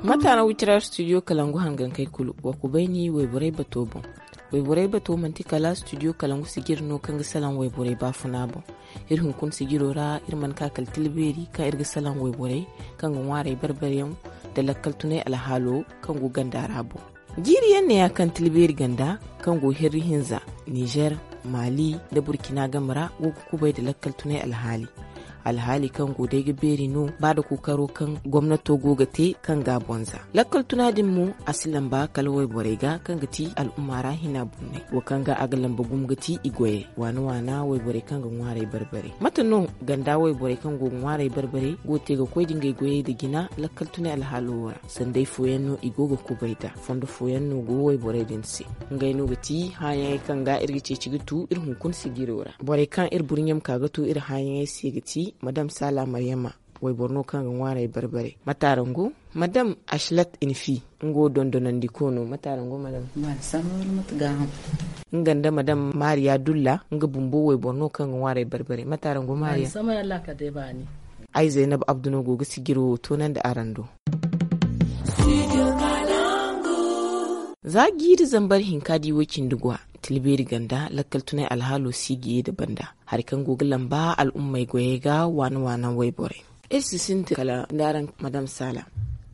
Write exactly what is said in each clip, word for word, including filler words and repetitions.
Mate no wicira studio kalangu hangankey kulu wa kubay ni wayborey bato boŋ. Wayborey bato manti kala studio kalangu sijiri no kaŋ ga salaŋ wayborey baafuna boŋ. Iri hunkuna sijiro ra iri mana ka kala tila beeri kaŋ iri ga salaŋ wayborey kaŋ ga ŋwaarey bar-bare yaŋ nda lakkal tunay alhaalo kaŋ go ganda ra boŋ. Jiiri yaŋ ne ya kaŋ tila beeri ganda kaŋ go hirri hinza, nizer, maali, nda burkina game ra go ga kubay nda lakkal tunay alhaali. Alhaali kaŋ go day ga beeri no ba nda kookaro kaŋ gomnato go ga te kaŋ ga a bonza. Lakkal tuna din mo a si lamba kala wayborey ga kaŋ ga ti al'umma ra hina bunnay wo kaŋ ga a ga lamba gumo ga ti i goyey waana waana wayborey kaŋ ga ŋwaarey bar-bare. Mate no ganda wayborey kaŋ go ga ŋwaarey bar-bare go ga te ga koy nda ngey goyey nda jina lakkal tunay alhaalo wo ra? Sanday fooyaŋ no i go ga kubay nd'a. Fondo fooyaŋ no go wayborey din se. Ngey no ga ti hããyaŋey kaŋ ga iri ga ceeci ga tu iri hunkuna sijiro ra. Borey kaŋ iri burɲe ma ka ga tu iri hããyaŋey se ga ti madam saala maryama. Wayboro no kaŋ ga ŋwaarey bar-bare. Mate araŋ go? Madam asilat infi, nga wo dondonandiko no. Mate araŋ go madam? Nga nda madam mariya dulla, nga bumbo wayboro no kaŋ ga ŋwaarey bar-bare. Mate araŋ go mariya? Ay zaynab abdu no go ga sijiro wo toonandi araŋ do. Za jiiri zambar hinka di way cindi gwa, tila beeri ganda lakkal tunay alhaalo si ga ye nda banda. Hari kaŋ go ga lamba al'ummey goyey ga waana waana wayborey. Iri si sintin kala nda araŋ madam saala.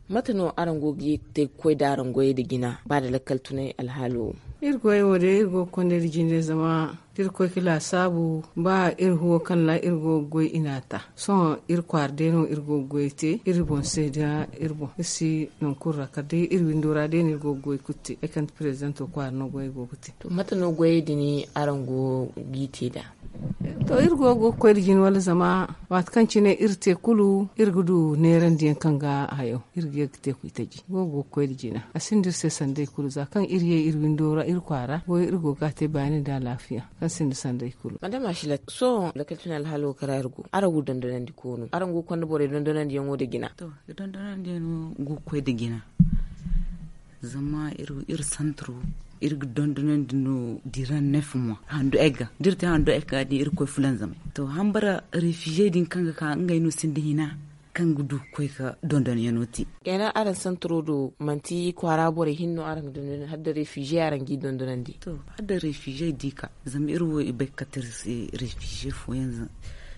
Mate no araŋ go ga ye ga te ga koy nda araŋ goyey nda jina ba nda lakkal tunay alhaalo wo? Iri goyey wo day iri go ga konda iri jinde zama da iri koy ga laasaabu ba iri huwo kaŋ ra iri go ga goy i n'a ta. Sohõ iri kwaara day no iri go ga goyey te iri boŋ se nda iri boŋ iri si nangu kulu ra kala day iri windo ra day no iri go ga goy kulu te. Ay kande preezidento kwaara no goyey go ga te. To mate no goyey din araŋ go g'i te nd'a? To iri go ga koy nda jina wala zama waati kaŋ cine iri te kulu iri ga du neerandiyaŋ kaŋ ga hayo iri ga ye ga te ga itaji go ga koy nda jina a sinda iri se sanda i kulu za kaŋ iri ye iri windo ra iri kwaara goyo iri go ga a te baani nda alaafiya kaŋ sinda sanda i kulu. Madama silat sohõ lakkal cine alhaalo ga ra iri go araŋ go dondonandi koono araŋ go ga konda borey dondonandiyaŋo nda jina? To iri dondonandiyaŋo go ga koy nda jina. Zama iri santaro iri ga dondonandi no diran nef mois handu egga da iri te handu egga din iri ga koy fulanzamay. To hambara refugee din kaŋ ga ka ngey no sinda hina kaŋ ga du ga koy ga dondonyaŋo te. Kenan araŋ santaro do manti kwaara borey hinne no araŋ ga dondonandi hala da refugee araŋ g'i dondonandi? To hala da refugee di ka zama iri wo i bay ga kate iri se refugee fooyaŋ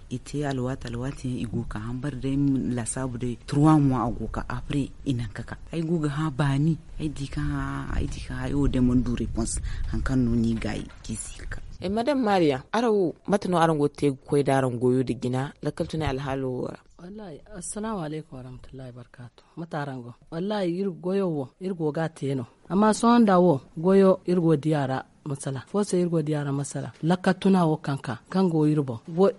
i te alwaati alwaati yaŋ i go ga ka hambara day laasaabu day trois mois a go ga ka après i naŋ ga ka ay go ga hã baani. Ay di ka hã ay di ka hã ay wo day mana du réponse. Hari kaŋ no ni gaayi kaŋ i si ga ka. Madam mariya, araŋ wo mate no araŋ go ga te ga koy nda araŋ goyo nda jina lakkal tunay alhaalo wo ra? Wallaahi, assalaamu alaykum warahmatullahi barkaatu. Mate araŋ go? Wallaahi iri goyo wo iri go ga a te no. Amma sohõ nda wo goyo iri go ga di a ra masala fo se iri go ga di a ra masala lakka tuna wo kaŋ ka kaŋ go iri boŋ.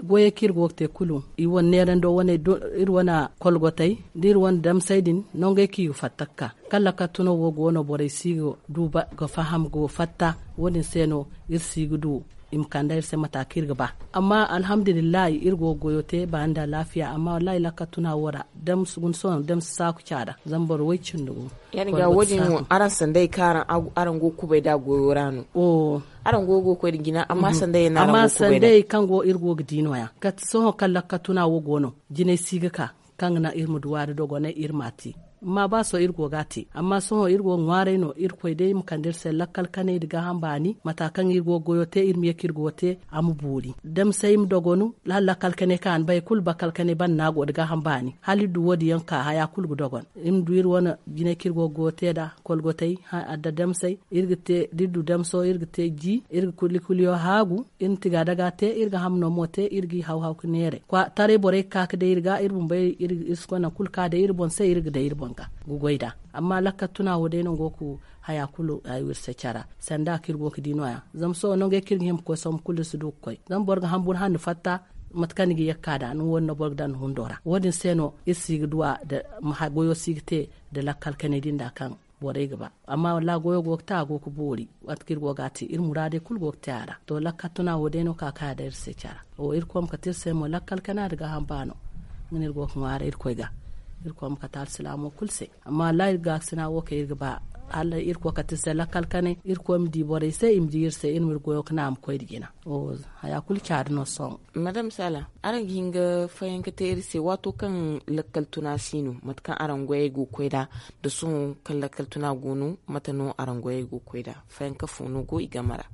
Goyey kaŋ iri go ga te kulu i wane neerando wane iri wane kolgotey da iri wane damsey din nongey kaŋ i ga fatta ga ka kaŋ lakka tuno wo go no borey si ga du ga faham ga fatta. Wo- din se no iri si ga du i ma kande iri se mata kaŋ iri ga ba. Amma alhamdulillahi iri go ga goyo te ba nda alaafiya amma wallahi lakka tuna wo ra damsi guna sohõ damsi saaku caada zama boro way cindi go. Ya- din ga wo- din wo araŋ sanday kaŋ araŋ go ga kubay nd'a goyo ra no? Araŋ go ga koy nda jina amma sanday yaŋ no araŋ go ga kubay nd'a? Amma sanday kaŋ go iri go ga di no- ya kala sohõ kaŋ lakka tuna wo go no jinay si ga ka kaŋ ga naŋ iri ma du waari dogonay iri m'a te. Amma ba sohõ iri go ga a te amma sohõ iri go ga ŋwaaray no irkoy day ma kande iri se lakkal kanay nda gaaham baani mata kaŋ iri go ga goyo te iri ma ye kaŋ iri go ga te a ma boori damsay ma dogonu. Hala lakkal kanay kaŋ a na bay kulu bakkal kanay banda no a go nda gaaham baani hala iri du wo- din yaŋ ka haya kulu ga dogon. Iri ma du iri wane jinay kaŋ iri go ga goyo te nd'a kolgotey adda damsey iri ga te da iri du damso iri ga te ji iri ga kuli kuliyo haagu. Iri na tiga daga te iri ga hamno mo te iri g'i haw haw ga neeray taray borey ga ka ga day iri ga iri bumbey iri si koy nangu kulu ka day iri boŋ se iri ga day iri boŋ ga ga goy nd'a. Amma lakka tuna wo day no go ga haya kulu hayo iri se cara sanda kaŋ iri go ga di no- ya zama sohõ nangey kaŋ iri ga hima ga koy sohõ kulu iri si du ga koy zama boro ga hamburu hande fatta. Mate kaŋ ni ga ye ga ka nd'a ni wo- din no boro ga daŋ ni hundo ra wo- din se no iri si ga duw'a goyo si ga te nda lakkal kanay din nd'a kaŋ borey ga ba. Amma wallaahi goyo go ga te a go ga boori. Waati kaŋ iri go ga a te iri muraadey kulu go ga te a ra to lakkal tuna wo day no ka kay a daŋ iri se care. Irkoy ma kate iri se mo lakkal kanay nda gaaham baano. Nga no iri go ga ŋwaaray irkoy ga. Irkoy ma kate alsilaamo kulu se. Amma wallaahi iri gaakasina wo kaŋ iri ga ba Hala irkoy kate se lakkal kanay irkoy ma di borey se i ma di iri se iri ma iri goyo ga naŋ a ma koy nda jina. Haya kulu caadi no sohõ. Madame sala, araŋ ga hin ga fayanka te iri se waato kaŋ lakkal tuna si no mate kaŋ araŋ goyey go ga koy nd'a, nda sohõ kaŋ lakkal tuna go no mate no araŋ goyey go ga koy nd'a? Fayanka fo no go i game ra?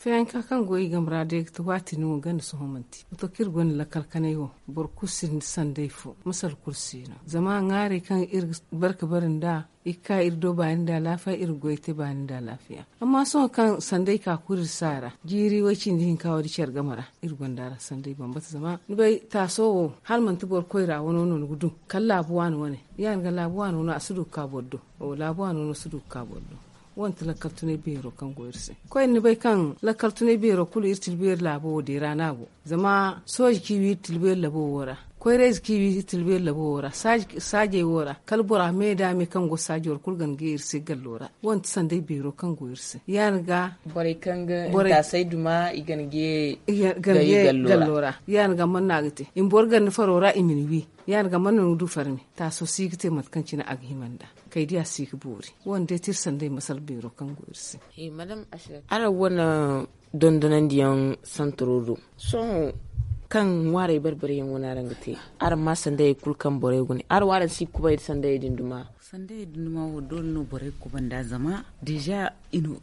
Fayanka kaŋ go i game ra day ga ti waati no ganda sohõ manti wato kaŋ iri gonda lakkal kanay wo. Boro kulu sinda sanday fo masal kulu si no zama ŋwaarey kaŋ iri ga bare ga bare nd'a i ga ka iri do baani nda alaafiya iri ga goy te baani nda alaafiya. Amma sohõ kaŋ sanday ka kulu iri si a ra jiiri way- cindi hinka wo- din care game ra iri gonda a ra sanday bambata zama ni bay taaso wo hala manti boro koyra wano no ni ga du kala laabu waani wane. Ya- din ga laabu waani wano a si du ga ka boro do. Laabu waani wano si du ga ka boro do. Wo- din ti lakkal tunay beero kaŋ go iri se. Koyne ni bay kaŋ lakkal tunay beero kulu iri tilbeeri laabo wo deera no a go. Zama sooji kaŋ i wi iri tilbeeri labo wo ra, koyrayze kaŋ i wi iri tilbeeri labo wo ra, saajey wo ra kala bora me da me kaŋ go saajo ra kulu ga na gay iri se gallo ra. Wo- din ti sanday beero kaŋ go iri se ya- din ga borey kaŋ ga intaasay duma i ga na gay gallo ra. Ya- din ga mana no a ga te i ma boro ganda faro ra i ma ni wi. Ya- din ga mana no ni ga du farmi taaso si ga te mate kaŋ cine a ga hima nd'a. Kay diya si ga boori. Wo- din day ti iri sanday masal beero kaŋ go iri se. Araŋ wane dondonandiyaŋ santaro do sohõ kaŋ ŋwaarey bare bare yaŋ wane araŋ ga te araŋ ma sandayey kulu kaŋ borey ga ne araŋ wo araŋ si ga kubay nda sandayey din duma? Sandayey din duma wo doole no borey ga kubay nd'a zama deeza i na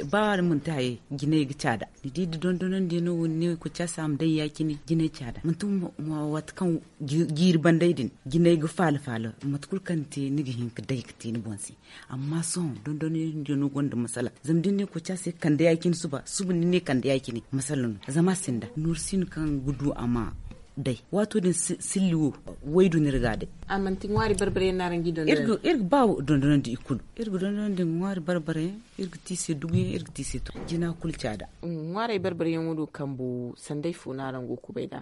ba manti hayey jinay ga caada. Ni di da dondonandiyaŋ no wo ni ne koca se a ma daŋ ya- cine jinay caada manti waati kaŋ jiiri banday din jinay ga faala faala mate kulu kaŋ ni te ni ga hin ga day ga te ni boŋ se. Amma sohõ dondonandiyaŋ no gonda masala zama da ni ne koca se kande ya- cine suba suba ni ne kande ya- cine masala no zama a sinda nooru si no kaŋ ga du a ma day. Waato din silli wo waydu no iri ga a day. A manti ŋwaari bare bare yaŋ no araŋ ga i dondonandi? Iri ga ba dondonandi i kulu. Iri ga dondonandi ŋwaari bare bare yaŋ iri ga te i se dugu yaŋ iri ga te i se to jina kulu caada. Ŋwaarey bare bare yaŋo do kambu sanday fo no araŋ go ga kubay nd'a?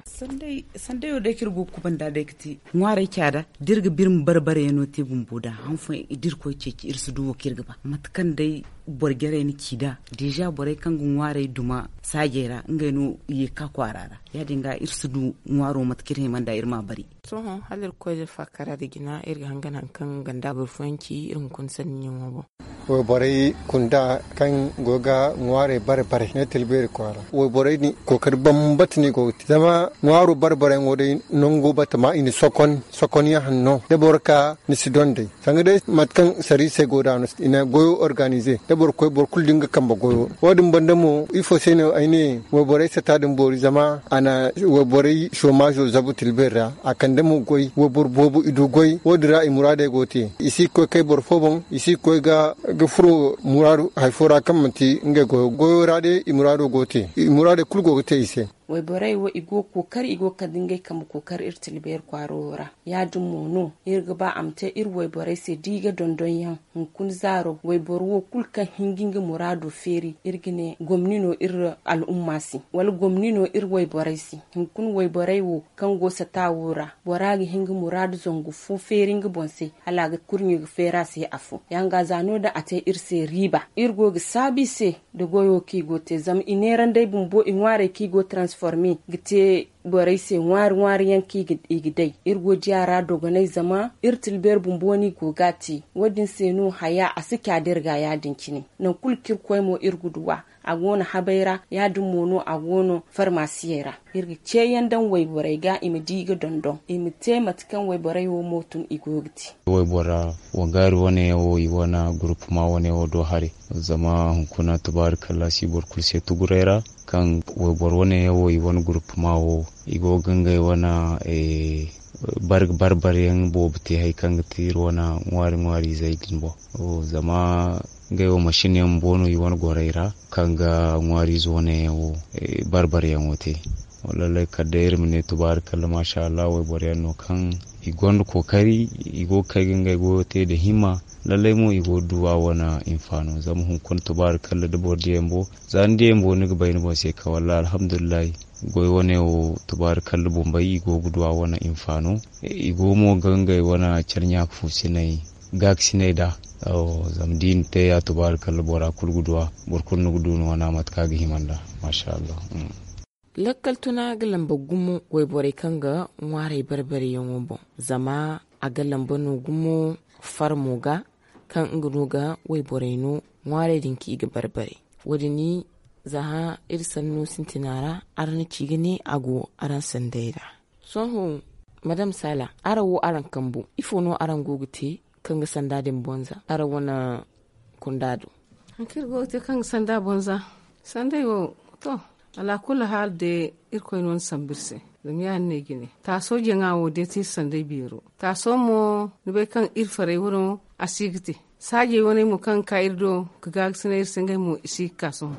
Sandayo day kaŋ iri go ga kubay nd'a day ga ti ŋwaarey caada da iri ga ba iri ma bare bare yaŋo te bumbo nd'a han fooyaŋ da irkoy ceeci iri si du wo kaŋ iri ga ba mate kaŋ day boro jarey na ci nd'a. Deeza borey kaŋ ga ŋwaarey duma saajey ra ngey no i ye ga ka kwaara ra ya- din ga iri si du ŋwaaro mate kaŋ iri hima nd'a iri m'a bari. Sohõ hala iri ga koy da faakara nda jina iri ga hangan hari kaŋ ganda boro fooyaŋ ci iri hunkuna sanniyaŋo boŋ. Wayborey kunda kaŋ go ga ŋwaarey bare bare ne tilbeeri kwaara wayborey din kookari bambata no i go ga te zama ŋwaaro bare bare yaŋo day nango batama i na sokon sokon yaŋ hanno da boro ka ni si donday sanga day mate kaŋ sariisey go nd'a no i na goyo organize da boro koy boro kulu da nga kambe goyo. Wo- din banda mo ifo se no ay ne wayborey sata din boori zama a na wayborey soomaazo zabu tilbeeri ra a kande mo goy wayboro boobo i du goy wo- din ra i muraadey go ga te i si ga koy kay boro fo boŋ i si ga koy ga furo muraadu hari fo ra kaŋ manti ngey goyo goyo ra day i muraado go ga te i muraadey kulu go ga te i se. Wayborey wo i go ga kookari i go ga kande ngey kambe kookari iri tilbeeri kwaaro wo ra ya- din mo no iri ga ba a ma te iri wayborey se da i ga dondon yaŋ hunkuna zaaro wayboro wo kulu kaŋ hin ga nga muraado feeri iri ga ne gomni no iri al'umma se wala gomni no iri wayborey se. Hunkuna wayborey wo kaŋ go sata wo ra bora ga hin ga muraadu zangu fo feeri nga boŋ se hala a ga kurɲo ga feeri a se afo ya- din ga za no- din a te iri se riiba iri go ga saabu i se nda goyo kaŋ i go ga te zama i neerandey bumbo i ŋwaarey kaŋ i go ga transforme ga te borey se ŋwaari ŋwaari yaŋ kaŋ i ga day iri go ga diya ra dogonay zama iri tilbeeri bumbo no i go ga a te. Wo- din se no haya a si ca da iri ga ya- din cine nangu kulu kaŋ iri koy mo iri ga du a a go no habay ra ya- din mo no a go no farmaasiyey ra. Iri ga ceeyaŋ daŋ wayborey ga i ma di ga dondon i ma te mate kaŋ wayborey wo mo tun i go ga te. Waybora wangaari wane yaŋ wo i wane gurupuma wane yaŋ wo do haray zama hunkuna tubaarikalla si boro kulu se tuguray ra kaŋ wayboro wane yaŋ wo i wane gurupuma wo i go ga ngey wane barbarbaryaŋ boobo te hari kaŋ ga ti iri wane ŋwaari ŋwaari izey din boŋ. Zama ngey wo masin yaŋ bumbo no i wane gorey ra kaŋ ga ŋwaari ize wane yaŋ wo barbaryaŋo te. Lallay kala day iri ma ne tubaarikalla maasa allah wayboro yaŋ no kaŋ i gonda kookari i go ga kay ga ngey goyo te nda himma. Lallay mo i go ga du a wane hinfaano zama hunkuna tubaarikalla da boro diya bumbo za ni diya bumbo ni ga bay ni boŋ se kaŋ wallaahi alhamdulillahi. Goy wane wo tubaarikalla bombay i go ga du a wane hinfaano. I go mo ga ngey wane care ɲaaka fuusinay gaakasinay nd'a. Zama da i na te ya tubaarikalla bora kulu ga du a boro kulu ni ga du ni wana mate kaŋ a ga hima nd'a. Maasa allah. Lakkal tuna ga lamba gumo wayborey kaŋ ga ŋwaarey bare bare yaŋo boŋ zama a ga lamba no gumo farmo ga. kaŋ nga no ga wayborey no ŋwaarey din kaŋ i ga barbare. Wo- din za hã iri sanno sintina ra, araŋ na ci ga ne a go araŋ sanday ra. Sohõ, madam sala, araŋ wo araŋ kambu, ifo no araŋ go ga te kaŋ ga sanda din bonza araŋ wane kunda do? Haŋ kaŋ iri go ga te kaŋ ga sanda bonza, sanday wo, to, alaakulli haali day, irkoy no ni sambu iri se. Zama ya- din no ay ga ne, taaso jaŋa wo day ti iri sanday beero. Taaso mo, ni bay kaŋ iri farey wano, a si ga te. Saajey waney mo kaŋ ga ka iri do ga gaagasinay iri se, ngey mo i si ga ka sohõ.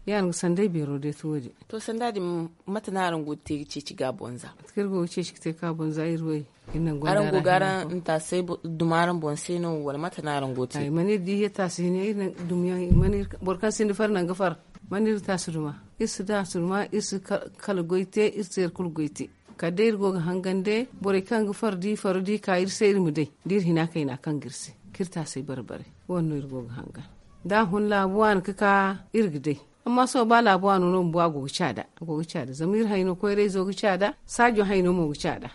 Ya- din ga sanday beero day ti wo- din. To, sanda din, mate no araŋ go ga te ga ceeci ga bonza? Mate kaŋ iri go ga ceeci ga te ga bonza iri wo, iri naŋ gonda ra. Araŋ go ga araŋ ntaasay duma araŋ boŋ se no, wala mate no araŋ go ga te? Ay, mana iri di ya taasi hina, iri naŋ dumiyaŋ, mana iri, boro kaŋ sinda far naŋ ga far, mana iri taasi duma. Iri si taasi duma, iri si kala goy te, iri si iri kulu goy te. Kala day iri go ga hangan day, borey kaŋ ga far, da i faro, da i ka iri se, iri ma day da iri hina kayna kaŋ ga iri se, kaŋ iri taasay bare-bare. Wo- din no iri go ga hangan. Da a hun laabu waani ga ka, iri ga day. Amma sohõ ba laabu waano no bumbo a go ga caada, a go ga caada. Zama iri hayno koyrayzo ga caada, saajo hayno mo ga caada.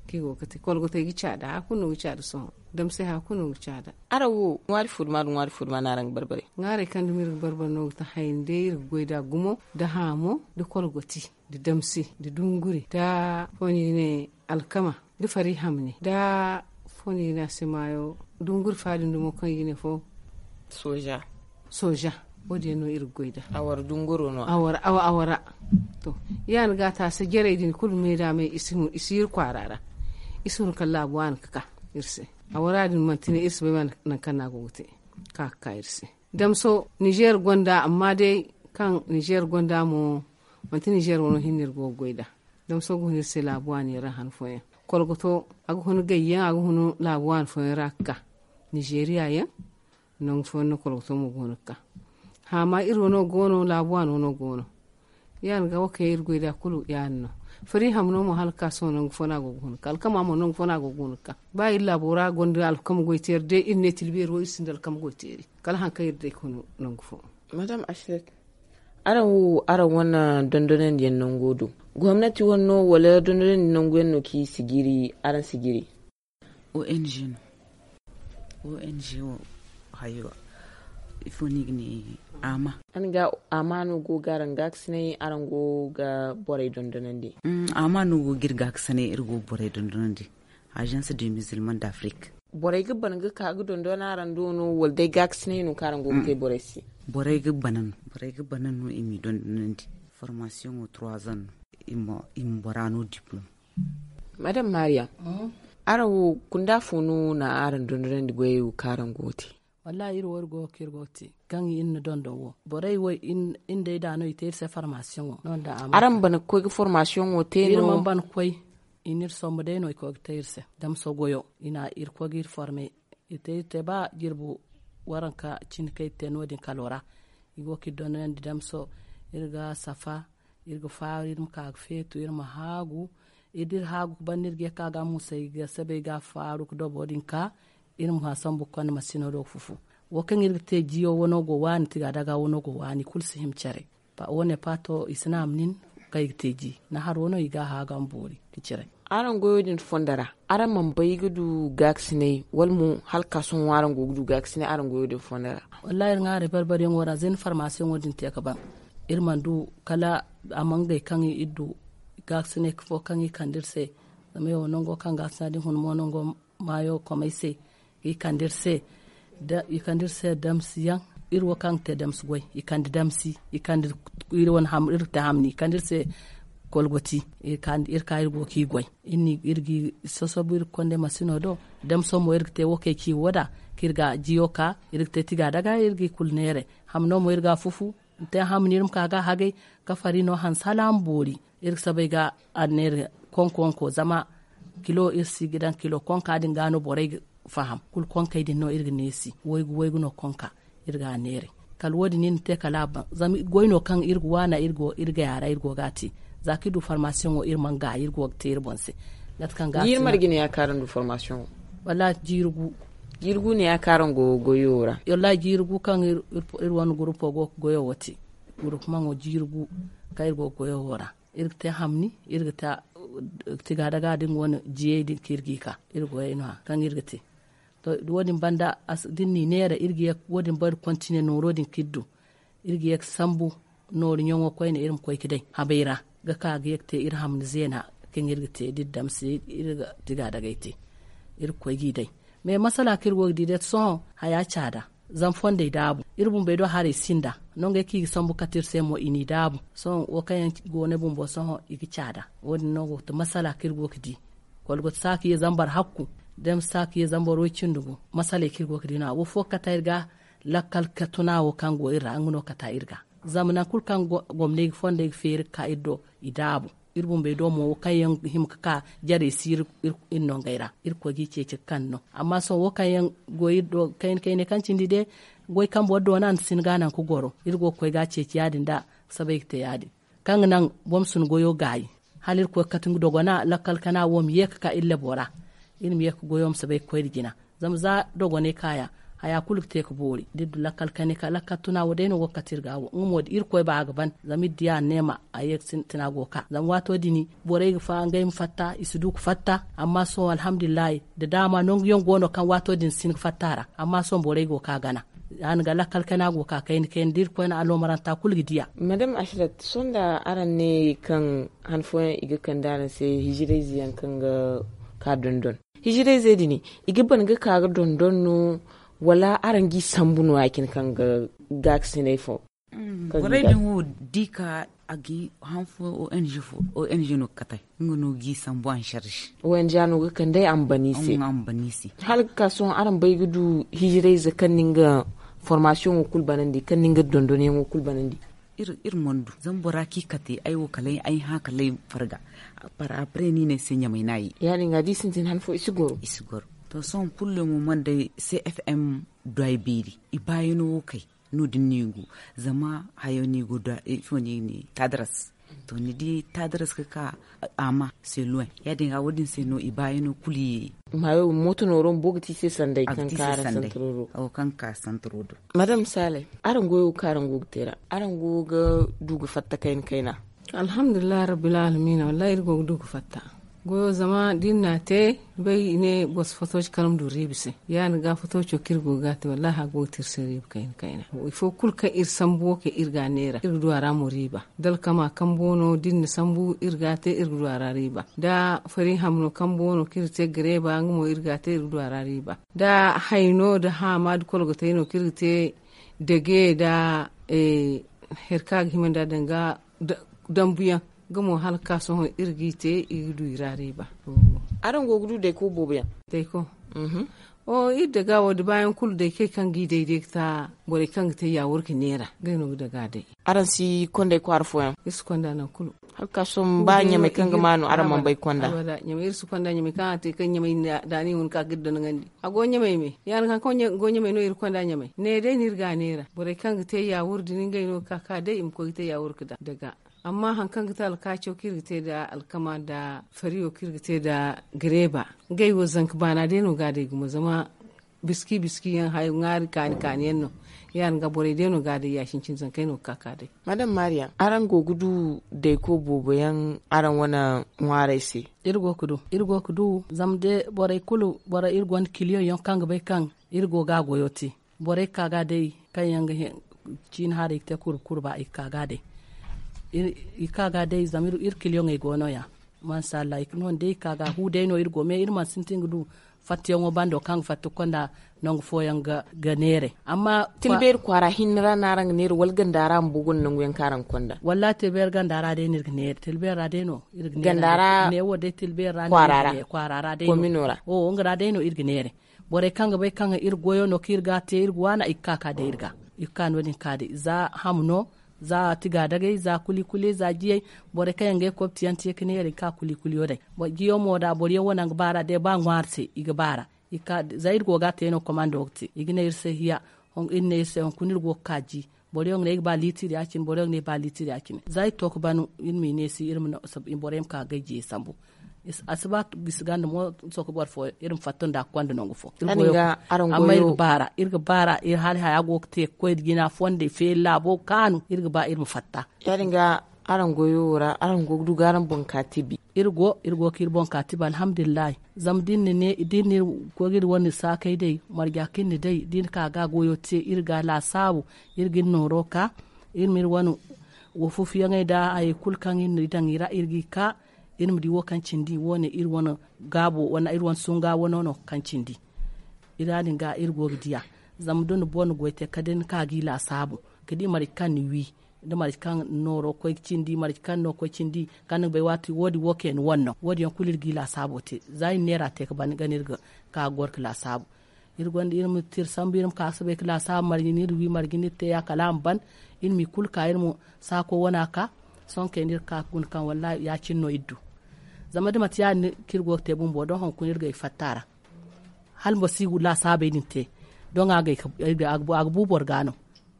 Kaŋ i go ga te, kolgotey ga caada, haya kulu no ga caada sohõ. Damsay haya kulu no ga caada. Araŋ wo, ŋwaari fo duma nda ŋwaari fo duma no araŋ ga barbare? Ŋwaarey kaŋ dumi iri ga barbare no ga ti hayni day iri ga goy nd'a gumo, nda haamo, nda kolgoti, nda damsi, nda dunguri, nda ifo no i ga ne, alkama, nda fari hamni, nda ifo no i ga ne a se maayo, dunguri fa din dumo kaŋ i ga ne fo? Sooja. Sooja. Wo- din yaŋ no iri ga goy nd'a. Awara dunguro no? Awara, awa, awara. To, ya- din ga taasi jarey din kulu me da me, i si hun, i si iri kwaara ra. I si hun kala laabu waani ga ka iri se. Awara din manti ne iri si bay nangu kaŋ no a go ga te, ka ga ka iri se. Damso, Nizeer gonda, amma day kaŋ Nizeer gonda mo, manti Nizeer wano hinne iri go ga goy nd'a. Damso ga hun iri se laabu waani yaŋ ra han fooyaŋ. Kolgoto, a ga hun gayyaŋ, a ga hun laabu waani fooyaŋ ra ga ka. Nizeeriya yaŋ, nangu fooyaŋ no kolgoto mo go no ga ka. Haama iri wano go no, laabu waani wano go no. Ya- din ga wo kaŋ iri goy nd'a kulu ya- din no. Fari hamno mo hala ga ka sohõ nangu fo no a go ga hun ga ka. Alkama mo nangu fo no a go ga hun ga ka. Ba iri laabo ra gonda alkama goy teeri day, iri ne tilbeeri wo iri sinda alkama goy teeri. Kala haŋ kaŋ iri day ga hun nangu fo. Madam Ashlet, araŋ wo, araŋ wane dondonandi yaŋ nango do, gomnati wane no, wala dondonandi nangu yaŋ no kaŋ i si jiiri, araŋ si jiiri? O N G no. O N G wo, hayo, ifo no i ga ne, ama. Araŋ ga ama no go ga araŋ gaakasinay, araŋ go ga borey dondonandi? Mm, ama no go ga iri gaakasinay, iri go ga borey dondonandi. Agence des Musulmans d'Afrique. Borey ga ban ga ka ga dondon araŋ do no, wala day gaakasinay no kaŋ araŋ go ga te borey se? Borey ga ban no, borey ga ban no i m'i dondonandi. Formation wo trois ans no, i ma, i ma bora no diplôme. Madame Mariam, araŋ wo kunda fo no na araŋ dondonandi goyey wo kaŋ araŋ go ga te? Wallahi, iri wo iri go ga ka iri go ga te kaŋ iri na dondon wo. Borey wo, iri nd'ey da no i te iri se formation wo. Araŋ ban ga koy ga formation wo te no? Iri mana ban ga koy. I n'iri sombu day no i koy ga te iri se damso goyo. I na iri koy ga iri forme. I te, iri te ba jirbi waranka cine kaŋ iri te no- din kalo ra. I go ga iri dondonandi damso. Iri ga safa, iri ga faaru, iri ma ka ga feetu, iri ma haagu. Iri da iri haagu ga ban no iri ga ye ga ka ga musay ga sabay ga faaru ga dobo din ka. Iri ma hã sambu ga konda masino do ga fufu. Wo kaŋ iri ga te jiyo wano go waani, tiga daga wano go waani, kulu si hima care. Wane paato i si naama nin kaŋ i ga te ji. Naharo no i ga a haaga ma boori ga cire. Araŋ goyo din fondo ra, araŋ mana bay ga du gaakasinay, wala mo hala ka sohõ araŋ go ga du gaakasinay araŋ goyo din fondo ra? Wallahi, iri ŋwaaray barbariyaŋo ra, zina farmasiyaŋo din te ga ban. Iri mana du kala a ma ngey kaŋ iri du gaakasinay fo kaŋ i kande iri se. Zama yawo nango kaŋ gaakasina din hun mo nango maayo komey se, i kande iri se, da i kande iri se damsiyaŋ. Iri wo kaŋ ga te damsi goy, i kande damsi, i kande iri wane ham, iri ga te hamni, i kande iri se kolgoti, i kande iri ka iri go ga i goy. Iri ga i sosobu iri ga konda masino do. Damso mo iri ga te wo kay ci wo da, kaŋ iri ga jiyo ka, iri ga te tiga daga, iri ga i kulu neere. Hamno mo iri ga a fufu, te hamni iri ma ka ga a hagay, ka fari no hanse hala a ma boori. Iri ga sabay ga anneeri konko-konko, zama kilo iri si ga daŋ kilo konka din ga no borey ga faham. Kulu konkey din no iri ga neesi, waygu-waygu no konka, iri ga a neeray. Kala wo-din iri na te kala a ban, zama goy no kaŋ iri ga waana, iri go, iri ga yaara, iri go ga a te. Za kaŋ iri du farmasiyoŋo, iri mana gaayi, iri go ga te iri boŋ se. Mate kaŋ ga a. Jiiri marje no ya kaŋ araŋ du farmasiyoŋo? Wallaahi, jiiri gu. Jiiri gu no ya kaŋ araŋ go goyo ra? Wallaahi, jiiri gu kaŋ iri, iri, iri wane gurupo go ga goyo wo te. Gurupumaŋo jiiri gu kaŋ iri go ga goyo wo ra. Iri ga te hamni, iri ga te, uh, tiga daga din wane jiyey din kaŋ iri g'i ka. Iri goyey no-ya kaŋ iri ga te. Wo- din banda da ni n'i neera iri ga ye wo- din banda kontine nooro din k'iri du. Iri ga ye ga sambu nooru ɲaŋo koyne iri ma koy ga day habay ra ga ka ga ye ga te iri hamni zeena. Kaŋ iri ga te da iri damse iri ga tiga dagay te iri ga koy g'i day. Mais masala kaŋ iri go ga di day sohõ haya caada. Zama fondey daabu iri bumbey do haray sinda nongey kaŋ i ga sambu kate iri se mo i n'i daabu. Sohõ wo kaŋ yaŋ go ne bumbo sohõ i ga caada. Wo- din no go ga ti masala kaŋ iri go ga di. Kolgot saaka ye zambar hakku da ma saaka ye zambar way cindi gu. Masaley kaŋ iri go ga di no a wo fo ga kata iri ga lakkal ka tuna wo kaŋ go iri ra nga no kata iri ga. Zama nangu kulu kaŋ gomney ga fondey ga feeri ga ka iri do i daabu. Iri bumbey do mo wo kaŋ yaŋ ga hima ga ka jarey si iri nongey ra iri koy ga i ceeci ga kande no. Amma sohõ wo kaŋ yaŋ go iri do kayna kayna kaŋ cindi day goy kaŋ boro doona nda sin ga a naŋ ga goro iri go ga koy ga a ceeci ya- din da ga sabay ga te ya- din. Kaŋ ga naŋ boro ma si ni goyo gaayi hala iri koy ga kate nga dogona lakkal kana wo ma ye ga ka iri labo ra. Iri ma ye ga goyo ma si bay ga koy nda jina. Zama za dogonay kaaya haya kulu ga te ga boori da iri du lakkal kane ka lakkal tuna wo day no go ga kate iri ga wo nga mo da iri koy ba a ga ban zama iri di a neema a ye ga sintina go ga ka zama waato din borey ga fa ngey ma fatta i si du ga fatta. Amma sohõ alhamdulillahi da daama nangu yaŋ go no kaŋ waato din si hin ga fatta a ra. Amma sohõ borey go ga ka gana. Ya- din ga lakkal kayna go ga ka kayna kayna da iri koyne aloomaranta kulu ga di a. Madame ashrat sohõ da araŋ ne kaŋ han fooyaŋ i ga kande araŋ se hijirayze yaŋ kaŋ ga ka dondon hijirayze din i ga ban ga ka ga dondon no? Wala araŋ g'i sambu no ya- cine kaŋ ga gaakasinay fo? Borey din wo da i ka a ga han fo ong fo ong no ga katay nga no g'i sambu ansarzi. Ong no ga kande ambani se. Hala ga ka sohõ araŋ bay ga du hijirayze kaŋ na nga formasiyoŋo kulu banandi kaŋ na nga dondonyaŋo kulu banandi? Iri mana du zama bora kaŋ i kate ay wo kala ay hã kala ay farga. Par après no i ne ay se ɲamay no a ye. Ya- din ga da i sintin han fo i si goro. I si goro. To sohõ pullo mo mana day cfm do ay beeri i baayano wo kay. No- din no i go zama hayo no i go da ifo no i ne tadras. To ni di tadras ga ka ama seluwen ya- din ga wo- din se no i baayano kulu ye. Maayo mooto nooro bumbo ga ti i se sanday kaŋ ka santaro do. Madame salay, araŋ goyo kaŋ araŋ go ga te ra araŋ go ga du ga fatta kayna kayna? Alhamdulillahi rabbil alamina wallahi iri go ga du ga fatta. Goyo zama da iri n'a te, ni bay i ne boro si fato ci kala ma du riiba se. Ya- din ga fato co kaŋ iri go ga a te wallahi a go ga te iri se riiba kayna kayna. Ifo kulu kaŋ iri sambu wo kaŋ iri ga a neera iri ga du a ra mo riiba. Da alkama kambo no da iri na sambu iri ga a te iri ga du a ra riiba. Da fari hamno kambo no kaŋ iri ga te gareeba nga mo iri ga a te iri ga du a ra riiba. Da hayno da haama da kolgotay no kaŋ iri ga te dage da hari kaŋ a ga hima nd'a danga dambuyaŋ. Nga mo hala ga ka sohõ iri g'i te i ga du i ra riiba. Araŋ go ga du dayko boobo yaŋ? Dayko. O iri daga wo da baayaŋ kulu daykey kaŋ g'i day day ga ta borey kaŋ ga te yaawur ga neera ngey no ga daga day. Araŋ si konday kwaara fooyaŋ? Iri si konda nangu kulu. Hala ga ka sohõ ba ɲamay kaŋ ga ma no araŋ mana bay konda? Ɲamay iri si konda ɲamay kaŋ a te kaŋ ɲamay da ni hun ka ga iri dondonandi a go ɲamay me. Ya- din haŋ kaŋ go ɲamay no iri konda ɲamay ne day no iri ga a neera borey kaŋ ga te yaawur din ngey no ga ka ka day i ma koy ga te yaawur ga daga. Amma haŋ kaŋ ga te alkaaco kaŋ iri ga te nda alkama nda fariyo kaŋ iri ga te nda gareeba, ngey wo zanka baana day no ga a day gumo zama biski biski yaŋ hayo ŋwaari kaani kaani yaŋ no. Ya- din ga borey day no ga a day ya- cine cine zankey no ga ka ka day. Madame mariya, araŋ go ga du dayko boobo yaŋ araŋ wane ŋwaarey se? Iri go ga du iri go ga du zama day borey kulu borey iri gonda kiliyoŋ yaŋ kaŋ ga bay kaŋ iri go ga a goyo te. Borey ga ka ga day kaŋ yaŋ ga ciini haray ga te kurba kurba i ga ka ga day. I ga ka ga day zama iri kiliyoŋey go no- ya. Mansa allah i ga no- ni day i ga ka ga hu day no iri go me iri mana sintin ga du fattayaŋo bando kaŋ ga fatta ga konda nangu fooyaŋ ga neeray. Amma tilbeeri kwaara hinne ra no araŋ ga neera wala ganda ra bumbo gonda nangu yaŋ kaŋ araŋ ga konda? Wallahi tilbeeri ganda ra day no iri ga neera tilbeeri ra day no iri ga neera. Neewo day tilbeeri ra no iri ga neera kwaara ra day no. Nga ra day no iri ga neera. Borey kaŋ ga bay kaŋ iri goyo no kaŋ iri ga a te iri ga waana i ga ka ka day iri ga. I ga ka no- din ka day za ham no, za tigaadagay za kuli kuli za jiyey. Borey kaŋ yaŋ ga ay kobti yaŋ te ga neera i ga ka kuli kuliyo day. Jiyo mo da boro yaŋ wane yaŋ ga baara day ba ŋwaari se i ga baara. Za iri go ga a te no komando ga te i ga ne iri se hiya. Iri ne iri se hunkuna iri go ga ka ji. Boro yaŋ ga ne ay ga ba liitir ya- cine boro yaŋ ga ne ay ba liitir ya- cine za iri to ga ban iri ma i neesi iri ma borey ma ka ga ay jiye sambu. A si ba gisi ganda mo sohõ ka boro fo iri ma fatta nda a ga konda nangu fo. Amma iri ga baara iri ga baara iri hala haya go ga te ga koy nda jina fondey feeri laabo ga kaanu iri ga ba iri ma fatta. Ya- din ga Araŋ goyo wo ra araŋ go ga du ga araŋ boŋ ka tibi. Iri go iri go ka iri boŋ ka tibi alhamdulillahi. Zama da iri na ne da iri na iri go ga iri wane saakey day marja kaŋ iri na day da iri na ka ga goyo te iri ga laasaabu iri ga iri nooro ka iri ma iri wane wo fufuyaŋey nda hayey kulu kaŋ iri na daŋ i ra iri ga i ka. Iri ma di wo kaŋ cindi wo- ne iri wane gaabo wala iri wane sunga wano no kaŋ cindi. Iri ya- din ga iri go ga diya. Zama da ni boro na goy te kala day ni ka ga i laasaabu ka di marje kaŋ ni wi da marje kaŋ nooro koy ga cindi marje kaŋ no koy cindi kaŋ ni ga bay waati wo- din wo kayna wane no wo- din yaŋ kulu iri ga i laasaabo te. Za iri na neera te ga ban ga no iri ga ka ga goro ga laasaabu. Iri gonda iri ma tira sambu iri ma ka ga soobay ga laasaabu marje no iri wi marje no iri te ya kala a ma ban. Iri ma i kulu ka iri ma saako wana ka sohõ kayna iri ga ka ga guna kaŋ wallaahi ya- cine no iri du. Zama da manti ya- din no kaŋ iri go ga te bumbo doŋ hunkuna iri ga ay fatta a ra. Hala boro si ga laasaabey din te doŋ a ga bu boro ga no.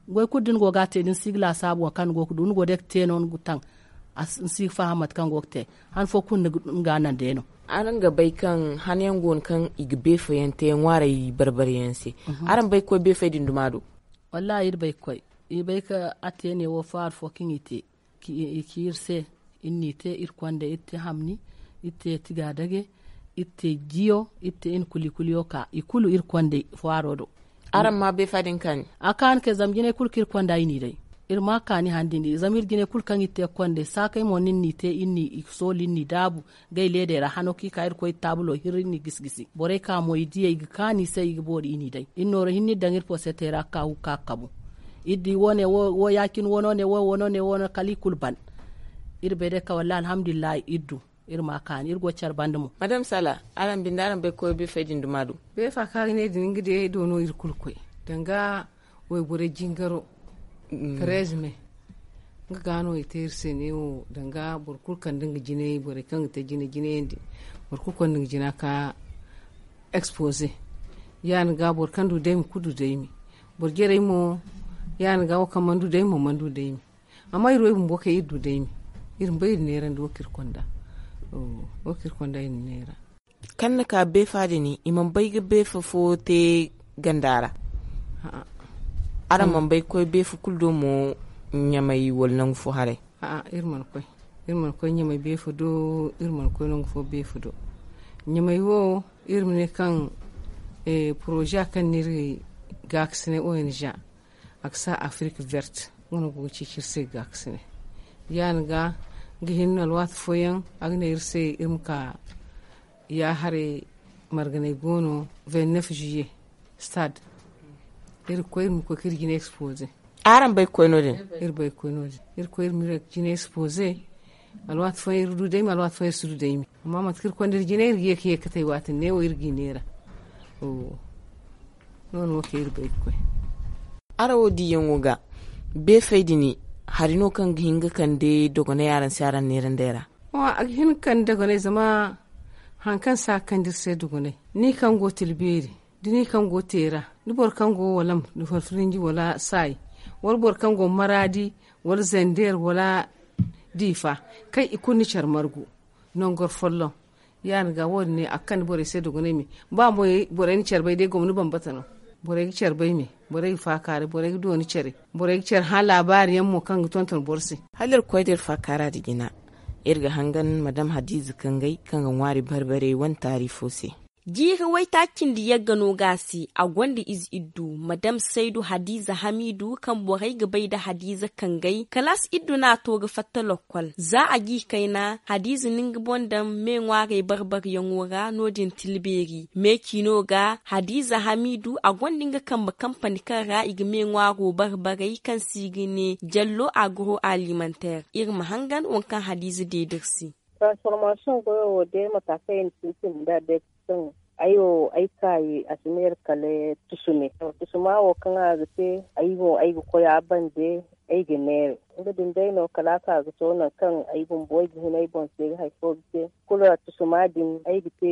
Goy kulu da ni go ga a te da ni si ga laasaabu waŋ kaŋ ni go ga du ni go day ga te no ni ga taŋ. Ni si ga faham mate kaŋ go ga te han fo kulu ni ga naŋ day no. Araŋ ga bay kaŋ han yaŋ go no kaŋ i ga beefo yaŋ te ŋwaaray barbari yaŋ se. Araŋ bay ga koy beefey din duma do? Wallaahi iri bay ga koy iri bay ga a te ne wo faaru fo kaŋ i te i ci iri se. Iri n'i te iri konda iri te hamni iri te tigaadage iri te jiyo iri te iri na kuli kuliyo ka i kulu iri konda faaro do. Araŋ ma beefa din kaani? A kaani kay zama jinay kulu kaŋ iri konda i n'i day. Iri ma kaani han din di zama iri jinay kulu kaŋ iri te konda saakay mo no iri n'i te iri n'i soolu iri n'i daabu. Gay leedey ra hano kaŋ i ka iri koy taabulo hirri iri n'i gisi gisi borey ka mo i diya i ga kaani i se i ga boori i n'i day iri nooro hinne iri daŋ iri posetey ra ga ka ga kabu. Iri di wo ne wo ya- cine wano ne wo wano ne wano kala i kulu ban. Iri bay day kaŋ wallaahi alhamdulillahi iri du. Iri ma kaani iri go care banda mo. Madame sala, araŋ binde araŋ bay ga koy beefey din duma do? Beefa kaŋ a ga ne din nga day do no iri kulu ga koy danga wayborey jingaro. Treize mai nga ga no i te iri se neewo danga boro kulu kande nga jinay borey kaŋ ga te jina jinayandi. Boro kulu konda nga jina ka expose. Ya- din ga boro kaŋ du daymi kulu du daymi. Boro jarey mo ya- din ga wo kaŋ mana du daymi mo mana du daymi. Amma iri wo iri bumbo kay iri du daymi. Iri ma bay iri neerandi wo kaŋ iri konda. Wo kaŋ iri konda iri na neera. Kaŋ ni ka beefa din i mana bay ga beefa fo te ganda ra? Araŋ mana bay ga koy beefa kulu do mo? Ɲamay wala nangu fo haray? A'a iri mana koy. Iri mana koy ɲamay beefa do. Iri mana koy nangu fo beefa do. Ɲamay wo iri ma ne kaŋ poroza kaŋ no iri gaakasinay onija a ga sa afirika vert. Nga no go ga ceeci iri se gaakasinay. Ya- din ga nga hinne no alwaati fooyaŋ a ga ne iri se iri ma ka ya haray marganay go no. Vingt neuf juillet stade iri ga koy iri ma koy ka iri jina expose. Araŋ bay ga koy no- din? Iri bay ga koy no- din. Iri ga koy iri ma iri jina expose. Alwaati fooyaŋ iri du daymi alwaati fooyaŋ iri si du daymi. Amma mate kaŋ iri konda iri jina iri ga ye ka ye ga katay waati din neewo iri g'i neera. No- din wo kaŋ iri bay ga koy. Araŋ wo diyaŋo ga beefey din hari no kaŋ ga hin ga kande dogonay araŋ se araŋ neerandey ra? A ga hin ga kande dogonay zama hari kaŋ si a ga kande iri se dogonay ni kaŋ go tila beeri da ni kaŋ go teera da boro kaŋ go walam da farfirinji wala saayi wala boro kaŋ go maraadi wala zandeer wala diifa kaŋ i kulu ni care margu nangor folloŋ. Ya- din ga wo- din ne a ga kande borey se dogonay me. Ba mo borey na care bay day gomni bambata no. Borey ga care bay me. Borey ga faakaaray borey ga dooni care. Borey ga care hã laabaari yaŋ mo kaŋ ga tonton boro se. Hala iri ga koy da iri faakaara nda jina iri ga hangan madam hadiiza kangay kaŋ ga ŋwaari barbarey wane taari fo se. Jiiri waytaaci cindi yagga no ga a se a gonda ize iddu madam saydu hadiiza hamiidu kaŋ borey ga bay nda hadiiza kangay kalaas iddu no a to ga fatta lokkol za a g'i kayna hadiiza na nga boŋ daŋ me ŋwaarey barbaryaŋo ra no- din tilbeeri me ciino ga hadiiza hamiidu a gonda nga kambe kampani kaŋ ra i ga me ŋwaaro barbarey kaŋ se i ga ne jallo agro alimanteer iri ma hangan waŋ kaŋ hadiiza deeda iri se. Transformation goyo wo day mata kaŋ i na sintin nda day kaŋ ay wo ay kaayi a si neera kala tusumi. Tusuma wo kaŋ a ga te ay mo ay ga koy a bande ay ga neera. Nga din day no kala a ka ga to nangu kaŋ ay bumbo ay ga hin ay boŋ se ga hari fo ga te kulu tusuma din ay ga te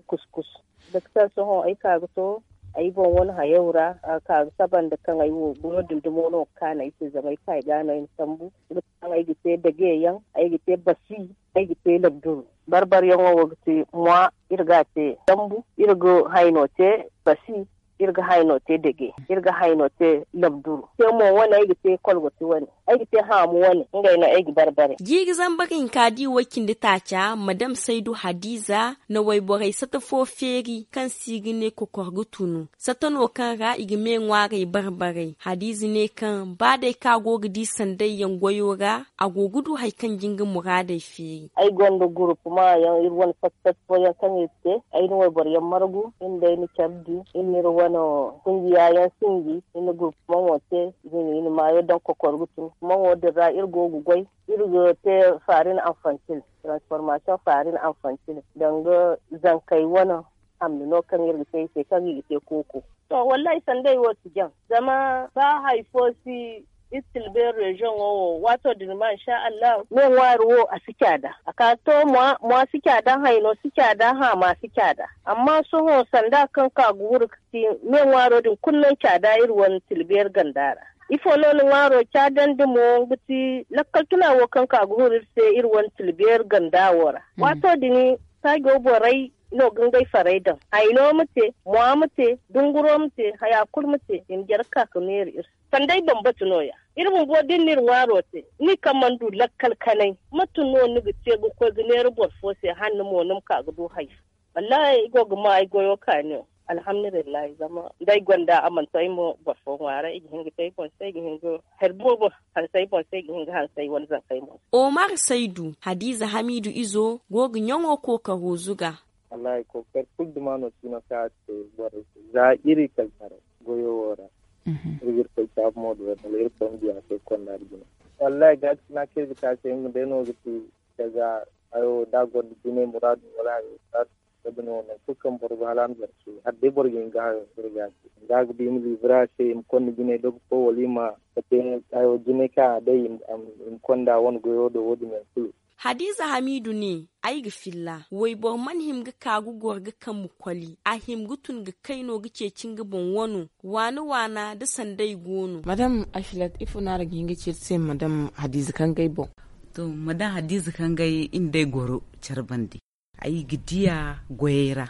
kuskus. Doktor sohõ ay ka ga to ay boŋ wane hayo ra a ka ga saba nda kaŋ ay wo goyo din dumo no ga kaanu ay se zama ay kaayi ga no ay na sambu. Nga kaŋ ay ga te dage yaŋ ay ga te basi ay ga te labduru. Barbaryaŋo wo ga ti mwa iri ga a te dambu iri ga hayno te basi. Iri ga hayno te dege, iri ga hayno te labduru te mo wane ay ga te kolgoti wane, ay ga te haamu wane. Ngey no ay ga bare bare. Jiiri zambar hinka di way cindi taaca madam saydu hadiza na wayborey sata fo feeri kaŋ se i ga ne kokor ga tunu. Sata no kaŋ ra i ga me ŋwaarey bare bare. Hadiza ne kaŋ ba day kaŋ a go ga di sanday yaŋ goyo ra, a go ga du hari kaŋ ga nga muraadey feeri. Ay gonda gurupuma yaŋ iri wane sata sata fo yaŋ kaŋ iri te. Ay na wayboro yaŋ margu iri nda ay na care di iri na iri wane kungiya yaŋ sinji. Iri na gurupuma mo te. Zina iri na maayo daŋ kokor ga tun kuma mo din ra iri go ga goy. Iri ga te farin anfantil, transformation farin anfantil danga zankey wane. Hamni no kaŋ iri ga te i se kaŋ i ga te kooko. To wallahi sanday wo si jaŋ. Zama ba hari fo si iri tilbeeri reziyoŋo wo waato din ma insha allahu me ŋwaari wo a si caada. A ka to mwa si caada hayno si caada haama si caada. Amma sohõ sanda kaŋ ka ga huru ga ti me ŋwaaro din kulu no caada iri wane tilbeeri ganda ra. Ifo no ni ŋwaaro caadandi mo nga ti lakkal tuna wo kaŋ ka ga huru iri se iri wane tilbeeri ganda wo ra. Waato din saajo borey no ga ngey farey daŋ. Hayno ma te, mwa ma te, dunguro ma te, haya kulu ma te i ma jare ga ka ga neera iri se. Sanday bambata no- ya iri bumbo da ni na iri ŋwaaro te ni kaŋ mana du lakkal kanay, mate no ni ga te ga koy ga neera boro fo se? Hanno mo ni ma ka ga du hari fo. Wallahi ay go ga ma ay goyo kaani. Alhamdulillahi zama da ay gonda a mana to ay mo boro fo ŋwaara ay ga hin ga te ay boŋ se ay ga hin ga hari boobo hanse ay boŋ se ay ga hin ga hanse ay wane zanka ay mo se. Omar saydu hadiza hamiidu izo go ga ɲaŋo kookaro zuga. Wallahi kookari kulu duma no si no kaŋ a ga te borey se za iri kala taray goyo wo ra. Iri ga iri koy caabu mo do wala iri koy ma diya se konda da jine. Wallahi gaati sina kaŋ iri ga te a se nga day no ga ti. Daga hayo da a gonda jine muraadu wala hayo muraadu. Sabi no nangu kulu kaŋ boro ga hala a ma zara suuru hala day boro ga hin ga hayo iri ga a te. Nga ga ba i ma liibira a se i ma konda jine dogo fo wala i ma kate hayo jine kaŋ a day i ma konda wane goyo do wo- din yaŋ kulu. Hadiza hamiidu ne, ay ga filla wayboro mana hima ga ka ga goro ga kambe koli a hima ga tun ga kayno ga ceeci nga boŋ wano. Waana waana da sanday go no. Madam afilat ifo no araŋ ga hin ga ci iri se madam hadiza kaŋ ga ay boŋ? To madam hadiza kaŋ ga ay iri nda ay goro care bande. Ay ga diya goyey ra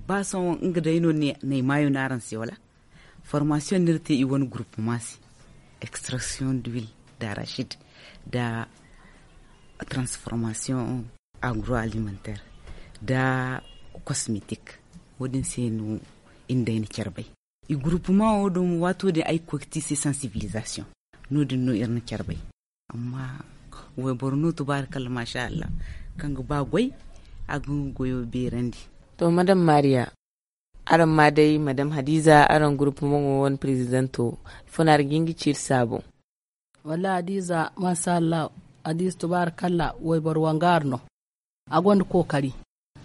ba sohõ nga day no n'ay maayo no araŋ se wala? Formasiyoŋ no iri te i wane gurupuma se. Extraction d'huile d'arachide nda transformation agro alimentaire nda cosmetique. Wo- din se no iri nda ay na care bay. I gurupuma wo din waato din ay ga koy ga te i se sensibilisation. No- din no iri na care bay. Amma wayboro no tubaari kalla maasa allah kaŋ ga ba goy a ga nga goyo beerandi. To madam maariya, araŋ ma day madam hadiza araŋ gurupuma ŋo wane prezidanto ifo no araŋ ga hin ga ci iri se a boŋ? Wallahi hadiza maasa allah, hadiza tubaari kalla wayboro wangaari no. A gonda kookari.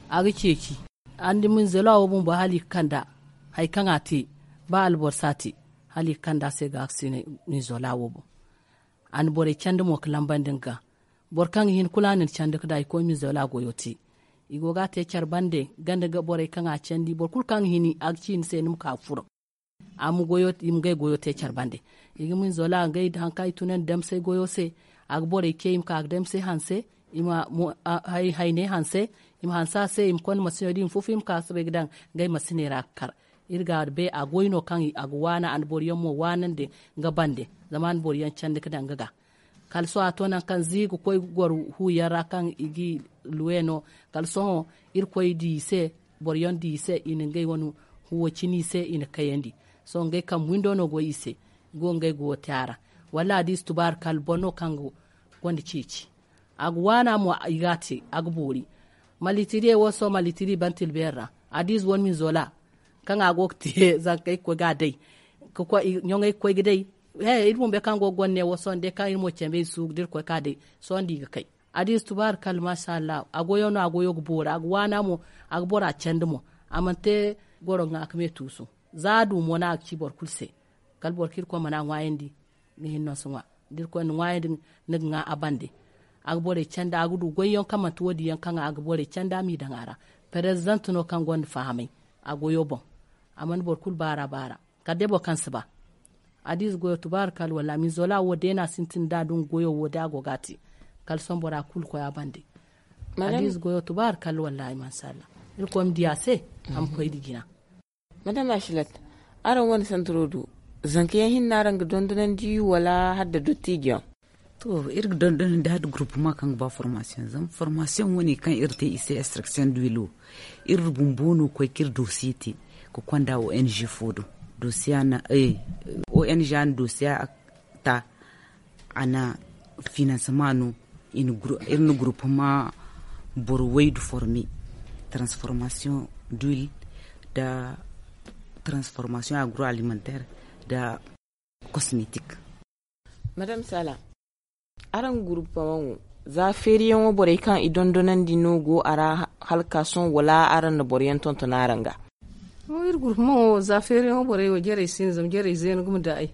A ga ceeci. Araŋ di minzola wo bumbo hala i ga kand'a. Hari kaŋ a te ba alboro si a te hala i ga kand'a se ga a ga sinay. Minzola wo boŋ a na borey candi mo ga lambandi nga ga. Boro kaŋ ga hin kulu a na ni candi ga daŋ i koy minzola goyo te. I go ga a te care bande ganda ga borey kaŋ a candi boro kulu kaŋ ga hin a ga ci ni se ni ma ka ga furo. A ma goyo i ma ngey goyo te care bande. I ga minzola ngey hari kaŋ i tunandi damsay goyo se. A ga borey ce i ma ka ga damsay hanse. I ma hayney hanse. I ma hanse a se i ma konda masino da i ma fufu i ma ka ga soobay ga daŋ ngey masiney ra ga kar. Iri ga bay a goy no kaŋ a ga waana a na boro yaŋ mo waanandi nga bande. Zama a na boro yaŋ candi ga daŋ nga ga. Kala sohõ a to nangu kaŋ za i ga koy ga goro hu yaŋ ra kaŋ i ga i luwe no. Kala sohõ irkoy di i se. Boro yaŋ di i se i na ngey wane huwo cine i se i na kayandi. Sohõ ngey kambe windo no go i se. I go ga ngey goyo te a ra. Wallaahi da i si tubaari kala boro no kaŋ gonda ceeci. A ga waana mo i ga a te a ga boori. Malitiriye wo sohõ malitiri ban tilbeeri ra. Adiize wane minzola kaŋ a go ga te zanka ay ga koy ga a day. Ga koy ɲoŋey ga koy ga day. He iri bumbo kaŋ go ga gonda ne wo sohõ day kaŋ iri mo cambe i suugu da iri koy ka day. Sohõ da i ga kay. Adiize tubaari kala maasa allahu a goyo no a goyo ga boori a ga waana mo. A ga bora candi mo. A mana te goro ŋwa ka me tuusu. Za a du mo no a ga ci boro kulu se. Kala boro kaŋ irkoy mana a ŋwaayandi. Ni hinne no si ŋwa da irkoy na ŋwaayandi. Ni ga ŋwa a bande. A ga borey candi a ga du goyyaŋ kaŋ manti wo- din yaŋ kaŋ a ga borey candi a m'i daŋ a ra. Perezidaŋ no kaŋ gonda fahamay a goyo boŋ. A mana boro kulu baar'a baar'a kala day boro kaŋ si ba. Adiize goyo tubaari kala wallaahi minzola wo day no a sintin da a du nga goyo wo day a go ga a te. Kala sohõ bora kulu koy a bande. Adiize goyo tubaari kala wallaahi maasa allah. Irkoy ma di a se. A ma koy nda jina. Madam afilat, Araŋ wane santaro do, zanka yaŋ hinne no araŋ ga dondonandi wala hala da dottijo yaŋ? To, iri ga dondonandi hala da gurupuma kaŋ ga ba formasiyoŋ zama formasiyoŋ wane kaŋ iri te i se instruction duwilo. Iri bumbo no koy kaŋ iri dosiye te ka konda ong fo do. Dosiya na ong na dosiya ta. A na finansama no iri na gurupuma boro waydu forme, transformation duwil, da transformation agroalimentaire, da kosmetik. Madame sala, araŋ gurupaman wo, za feeriyaŋo borey kaŋ i dondonandi no go a ra, hala ka sohõ wala araŋ na boroyaŋ tonton araŋ ga? Iri gurupaman wo za feeriyaŋo borey wo jarey si no zama jarey zeena gumo da ay.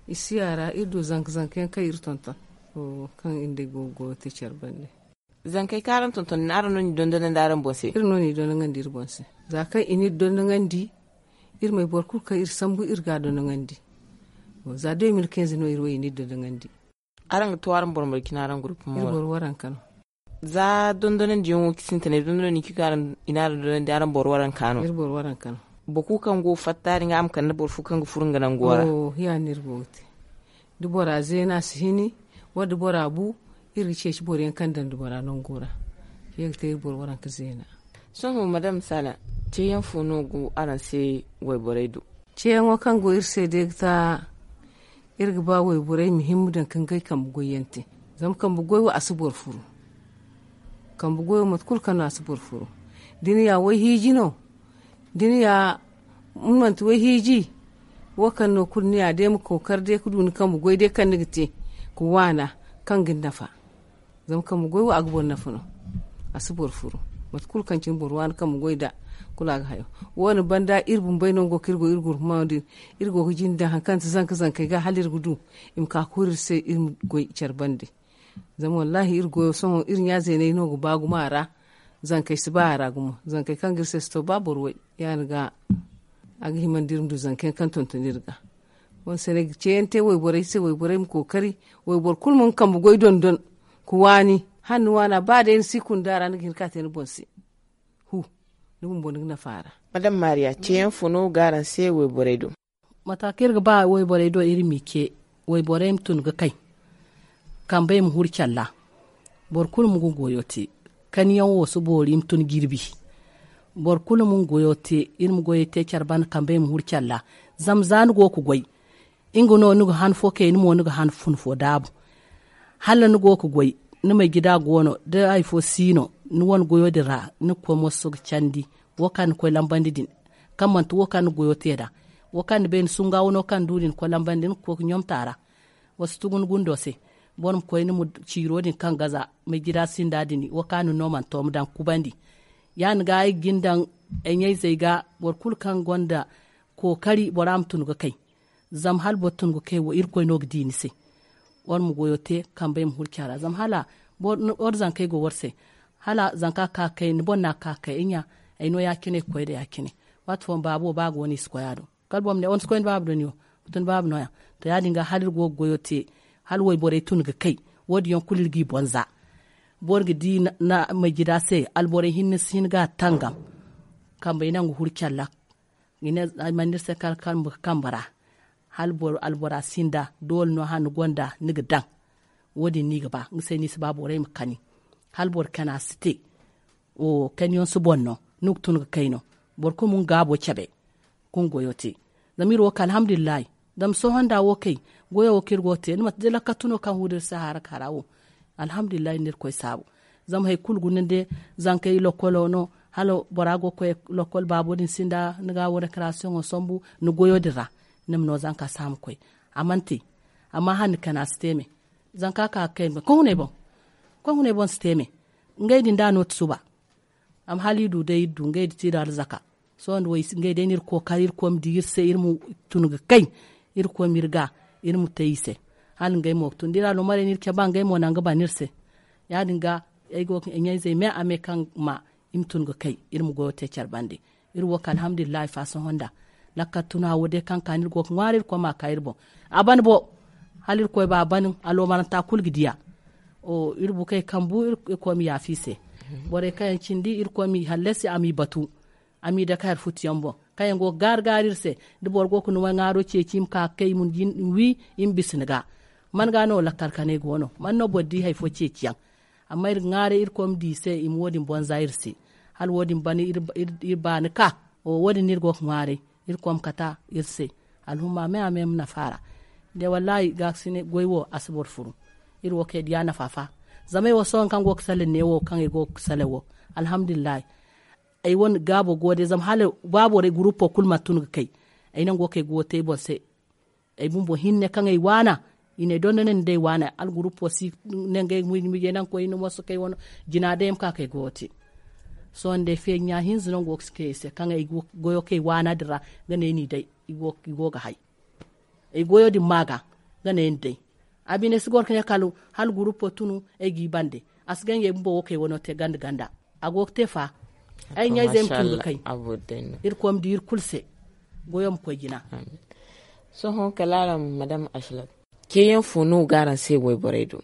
I si a ra iri du zanka zanka yaŋ kaŋ iri tonton, kaŋ iri nda ay go ga goyo te care bande. Zankey kaŋ araŋ tonton din araŋ no n'i dondonandi araŋ boŋ se? Iri no n'i dondonandi iri boŋ se. Za kaŋ i n'iri dondonandi, iri may boro kulu kaŋ iri sambu iri ga a dondonandi. Za deux mille quinze no iri wo i n'iri dondonandi. Araŋ ga to araŋ boro marje cine araŋ gurupuma? Iri boro waranka no. Za dondonandiyaŋo sintinay dondonandi kaŋ i n'araŋ dondonandi araŋ boro waranka no? Iri boro waranka no. Boro kulu kaŋ go fatta din ga a ma kande boro fo kaŋ ga furo nga nango ra? Ya- din iri go ga te. Da bora zeena si hini, wala da bora bu, iri ga ceeci boroyaŋ kaŋ daŋ da bora nango ra. Ye ga te iri boro waranka zeena. Sohõ madame sala, ceeyaŋ fo no go araŋ se? Wayborey do ceeyaŋo kaŋ go iri se day ga ta. Iri ga ba wayborey ma himma daŋ ka ngey kambe goyyaŋ te. Zama kambe goy wo a si boro furu. Kambe goy wo mate kulu kaŋ no a si boro furu. Da ni ya wayhiiji no, da ni ya, ni manti wayhiiji, wo kaŋ no kulu ni ya day ma kookari day ka du ni kambe goy day kaŋ ni ga te ka waana, kaŋ ga ni nafa. Zama kambe goy wo a ga boro nafa no. A si boro furu. Mate kulu kaŋ cine boro waani kambe goy nd'a, kulu a ga hayo. Wo- din banda iri bumbey no go kaŋ iri go iri gurupuma din. Iri go ga jinde daŋ hari kaŋ ti zanka zankey ga hala iri ga du i ma ka ka huru iri se iri ma goy care bande. Zama wallaahi iri goyo sohõ iri ɲa zeeney no ga ba gumo a ra. Zankey si ba a ra gumo, zankey kaŋ ga iri se si to ba boro way. Ya- din ga a ga himandi iri ma du zanka yaŋ kaŋ tonton iri ga. Wo- din se no ay ga ceeyaŋ te wayborey se wayborey ma kookari, wayboro kulu ma nga kambe goy dondon ka waani. Hala ni waana ba day ni si kunda ra ni ga hin ka te ni boŋ se. Hu, ni bumbo ni ga nafa a ra. Madame maria, ceeyaŋ fo no ga araŋ se wayborey do? Mata kaŋ iri ga ba wayborey do iri m'i ce, wayborey ma tun ga kay. Kambey ma huru care ra. Boro kulu ma nga goyo te. Kaniyaŋ wo si boori i ma tun jirbi. Boro kulu ma nga goyo te. Iri ma goyey te care banda kambey ma huru care ra. Zama za ni go ga goy, nga no ni ga han fo kay ni mo ni ga han fun fo daabu. Hala ni go ga goy, ni may jida go no da hari fo si no, ni wane goyo din ra ni ga koy moso ga candi. Wo kaŋ ni koy lambandi din, kaŋ manti wo kaŋ ni goyo te nd'a. Wo kaŋ ni bay ni sunga wano kaŋ ni du din koy lambandi ni ga koy ga ɲomta a ra. Wa si tugu ni gundo se. Boro ma koy ni ma ciiro din kaŋ gaza may jida sinda din wo kaŋ ni no mana to ma daŋ ga kubandi. Ya- din ga ay ga ni daŋ ay ɲayzey ga. Boro kulu kaŋ gonda kookari bora ma tun ga kay. Zama hala boro tun ga kay wo irkoy no ga di ni se. War ma goyo te kambey ma huru care ra zama hala war zankey go war se. Hala zanka ga ka ga kay ni boŋ no a ga ka ga kay ay ɲa. Ay no ya- cine ga koy nda ya- cine. Waati fooyaŋ baabo ba go no i si koy a do. Kala boro ma ne war si koy ni baaba do ni wo. Wa tun baaba nooya. To ya- din ga hala iri go ga goyo te. Hala wayborey tun ga kay. Wo- din yaŋ kulu iri g'i boŋ za. Boro ga di na majida se alborey hinne si hin ga a tangam. Kambey nangu huru care ra. I ne ay mana ni se kala kambe ga kambe ra. Hala boro albora sinda doole no hala ni gonda ni ga daŋ. Wo- din no i ga ba nga se no i si ba borey ma kani. Hala boro kana si te. Kaniyaŋ si boŋ no. Ni ga tun ga kay no. Boro kulu ma nga gaabo cabe. Ka nga goyo te. Zama iri wo kay alhamdulillahi. Zama sohõ nda wo kay goyo wo kaŋ iri go ga te ni manti day lakkatu no kaŋ hudu iri se haara ka ra wo. Alhamdulillahi iri na irkoy saabu. Zama hari kulu guna nda zankey lokkolo no. Hala bora go ga koy lokkol baabo din sinda ni ga wo rekarasiyoŋo sambu ni goyo din ra. Ni ma no zanka si a ma koy. A mana te. Amma hala ni kana si te me. Zanka ka ga kay me koy hunay boŋ. Koy hunay boŋ si te me. Ngey din da no ti suba. Amma hala iri du day iri du ngey da ti iri arzaka. Sohõ nda wo ngey day no iri kookari iri koy ma di iri se iri ma tun ga kay. Iri koy ma iri ga iri ma te i se. Hala ngey mo ga tun da iri aloomarey no iri cabe ngey mo naŋ ga ban iri se. Ya- din ga ay go ga ɲayzey me a me kaŋ ma i ma tun ga kay. Iri ma goyo te care bande. Iri wo kay alhamdulillahi fa sohõ nda lakkal tuna wo day kaŋ ka no iri go ga ŋwaari iri koy ma a ka iri boŋ. A ban bo. Hala iri koy ba a ban aloomaranta kulu ga di a. Iri bukey kambu iri koy ma yaafa i se. Borey kaŋ yaŋ cindi iri koy ma i hallasi a m'i batu. A m'i dake hari futuyaŋ boŋ. Kaŋ yaŋ go ga gaari gaari iri se, da boro go ga ni ŋwaaro ceeci i ma ka ga kay i ma wi, i ma bisa ni ga. Man ga no lakkal kanay go no man no boro di hari fo ceeci yaŋ. Amma iri ga ŋwaaray iri koy ma di i se i ma wo- din bonza iri se. Hala wo- din bana iri baani ka wo- din no iri go ga ŋwaaray. Iri koy ma kata iri se. Alhumma me a me ma nafa ra. De wallahi gaakasine goy wo a si boro furu. Iri wo kay diya nafa fa. Zama ay wo sohõ kaŋ go ga salaŋ ne wo kaŋ ay go ga salaŋ wo, alhamdulillahi. Ay wane gaabo go day zama hala ba borey gurupo kulu mana tun ga kay. Ay nango kaŋ ay go ga te ay boŋ se. Ay bumbo hinne kaŋ ay waana i ne ay dondonandi day waana algurupo si. Nangey muyje muyje naŋ koy ni moso kay wano jina day ma ka kay goyo te. Sohõ day feeji ɲa hinza no go ga si kay ay se kaŋ ay goyo kay waana din ra. Ga ne ni day i go ga hay. Ay goyo din ma ga ga ne ni day. A bine si goro ga ne kala hala gurupo tunu ay g'i bande. A si ganjey bumbo wo kay wano te ganda ganda. A go ga te fa. Ay ɲa-izey ma tun ga kay. Iri koy ma di iri kulu se. Goyo ma koy jina. Sohõ kala araŋ madam asilat. Ceeyaŋ fo no ga araŋ se wayborey do?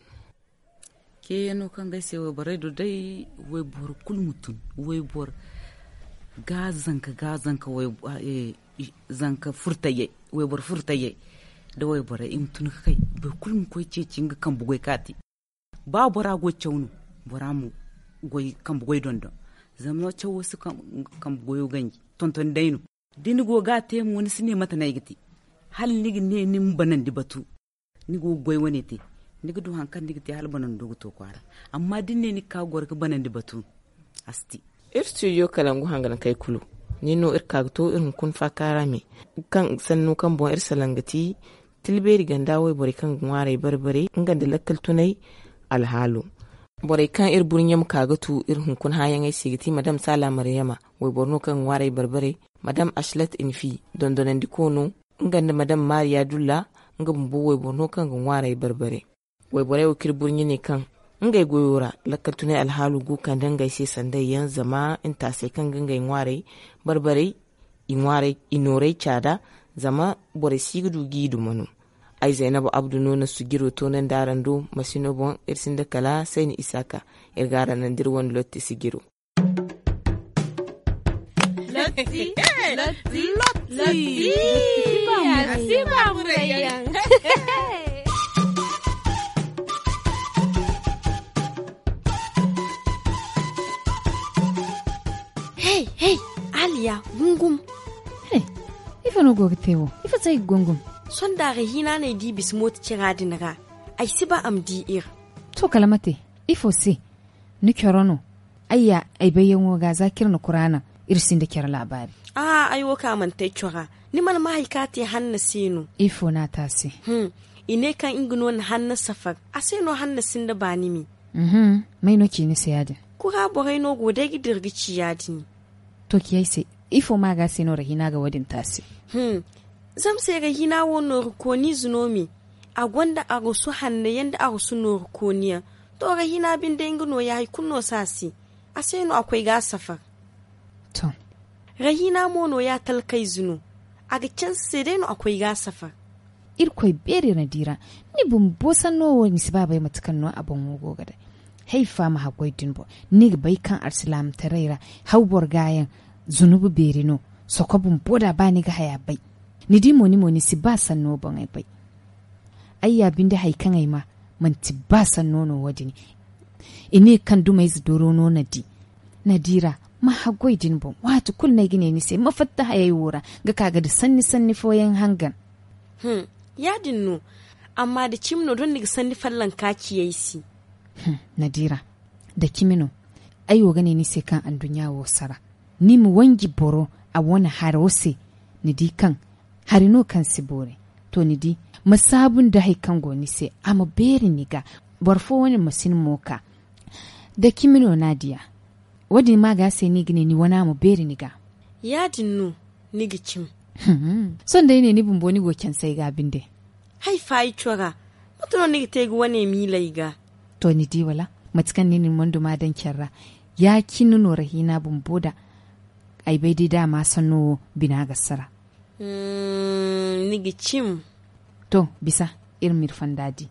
Ceeyaŋo kaŋ ga ay se wayborey do day, wayboro kulu ma tun. Wayboro ga zanka ga zanka. Zanka furtayey, wayboro furtayey da wayborey i ma tun ga kay. Boro kulu ma koy ceeci nga kambe goy kaati. Ba bora goy caw no, bora ma goy kambe goy dondon. Zama cawo si kambe goyo ganji tonton day no. Da ni go ga a te mo ni si ne mate no ay ga te. Hala ni ga ne ni ma banandi batu. Ni go ga goy wane te. Ni ga du hari kaŋ ni ga te hala banando ga to kwaara. Amma da ni ne ni ga ka ga goro ga banandi batu, a si te. Iri studio kalangu hanganakey kulu. Nin no iri ka ga to iri hunkuna faakaara me. Kaŋ sanno kaŋ boŋ iri salaŋ ga ti, tilbeeri ganda wayborey kaŋ ga ŋwaaray bare-bare nga nda lakkal tunay alhaalo. Borey kaŋ iri burɲe ma ka ga tu iri hunkuna hããyaŋey se ga ti madam saala maryama, wayboro no kaŋ ga ŋwaaray bare-bare. Madam asilat infi, dondonandiko no. Nga nda madam maariya dulla, nga bumbo wayboro no kaŋ ga ŋwaaray bare-bare. Wayborey wo kaŋ iri burɲe ne kaŋ ngey goyo ra lakkal tunay alhaalo go ga kande ngey se sanday yaŋ zama ntaasey kaŋ ga ngey ŋwaaray bare-barey, i nooray caada. Zama borey si ga du g'i duma no. Ay zaynaba abdu no na sijiro toonandi araŋ do. Masino boŋ iri sinda kala sayni isaaka. Iri ga araŋ naŋ da iri wane lotti sijiro. Lotti. Lotti. Lotti. Lotti. Lotti. Lotti. Lotti. Hey, hey, aliya, gungum. Hey, ifo no go ga te wo? Ifo se ay ga gungum? Sonda ra hina no ay di bisa mooto cira din ra. Ay si ba a ma di iri. To kala mate? Ifo se? Ni coro no? Ayya, ay bayyaŋo ga za kaŋ iri na kuraana, iri sinda care laabaari. Aha, ay wo kaŋ a mana te ay cora. Ni mana ma hari kaŋ a te hanna se no? Ifo no a te a se? Hum. I ne kaŋ nga no na hanna safar. A se no hanna sinda baani me. May no ci ni se ya- din? Kura borey no go day ga dira ga ci ya- din. To ci ay se, ifo ma ga se no rahina ga wo- din te a se? Zama se rahina wo nooru kooniize no me. A gonda arasu hanno yaŋ nda arasu nooru kooni yaŋ. To rahina binde nga no- ya hari kulu no si a se. A se no a koy ga a safar. To. Rahina mo no- ya talkayze no. A ga canse se day no a koy ga a safar. Irkoy beeri ra di ra. Ni bumbo sanno wo ni si ba bay mate kaŋ no a boŋo go ga day. Hay fa ma haggoy din boŋ. Ni ga bay kaŋ alsilaamataray ra haw boro ga yaŋ zunubi beeri no. Soko bumbo da ba ni ga haya bay. Ni di mo ni mo ni si ba sanno boŋey bay. Ay ya binde hari kaŋ ay ma manti ba sanno no wo- din. I ne kaŋ dumayze doro no na di. Na di ra ma haggoy din boŋ waati kulu no ay ga ne ni se ma fatta hayey wo ra ga ka ga da sanni sanni fooyaŋ hangan. Hum. Ya- din no. Amma da cimi no doŋ ni ga sanni fallanka ci ay se. Hum. Na di ra. Da cimi no. Ay wo ga ne ni se kaŋ anduɲɲa wo sara. Ni ma wanji boro a wane haro se. Ni di kaŋ hari no kaŋ si boori. To ni di ma saabu nda hari kaŋ go ni se a ma beeri ni ga. Boro fo wane ma si ni mo ka. Da cimi no no a diya. Wo- din ma ga se no i ga ne ni wana ma beeri ni ga. Ya- din no. Ni ga cimi. Sohõ day ne ni bumbo ni go canse ay ga binde. Hay fa ay cora. Mate no ni ga te ga wane miila ay ga? To ni di wala? Mate kaŋ ni na ni mondo ma daŋ care ra. Ya- cine no rahina bumbo da. Ay bay day da a ma sanno wo bina ga sara. Ni ga cim. To bisa. Iri ma iri fonda di.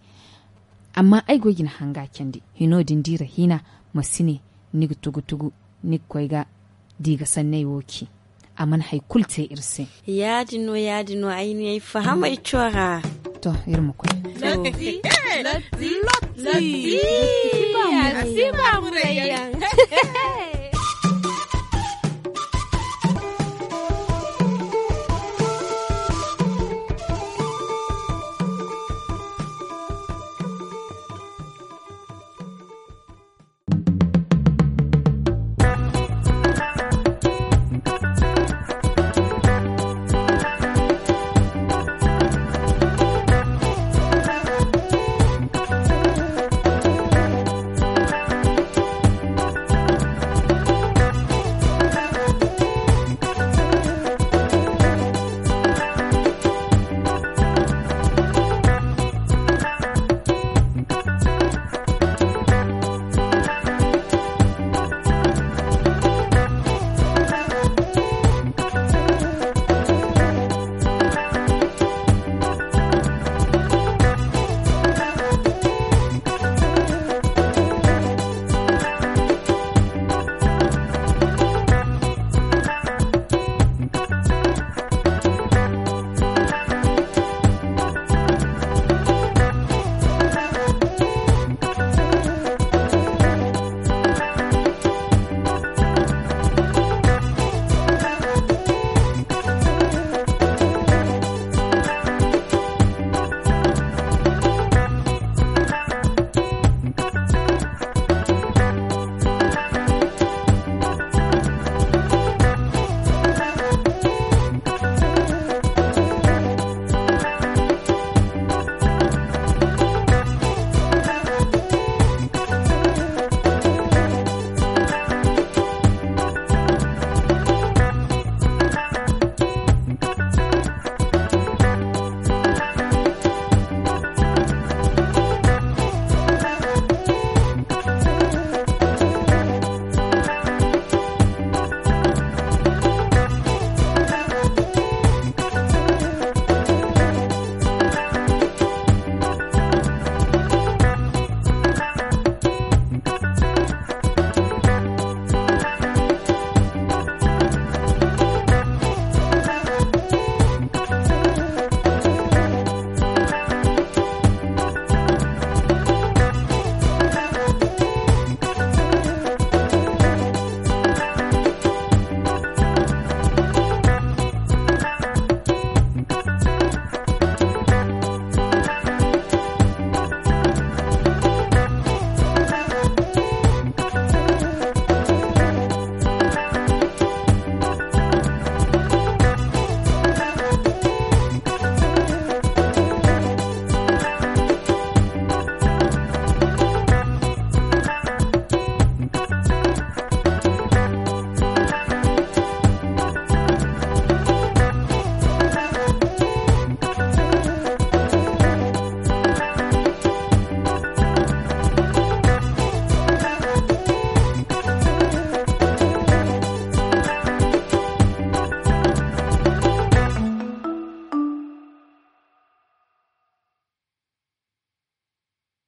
Amma ay go ga ni hanga candi hino din di rahina. Ma si ne ni ga tugu tugu ni ga koy ga di ga sanney wo ci. a mana hari kulu te iri se. Ya- din no ya- din no ay ne ay fahamay cora. To, iri ma koy. Lotti. Lotti. Lotti. Lotti.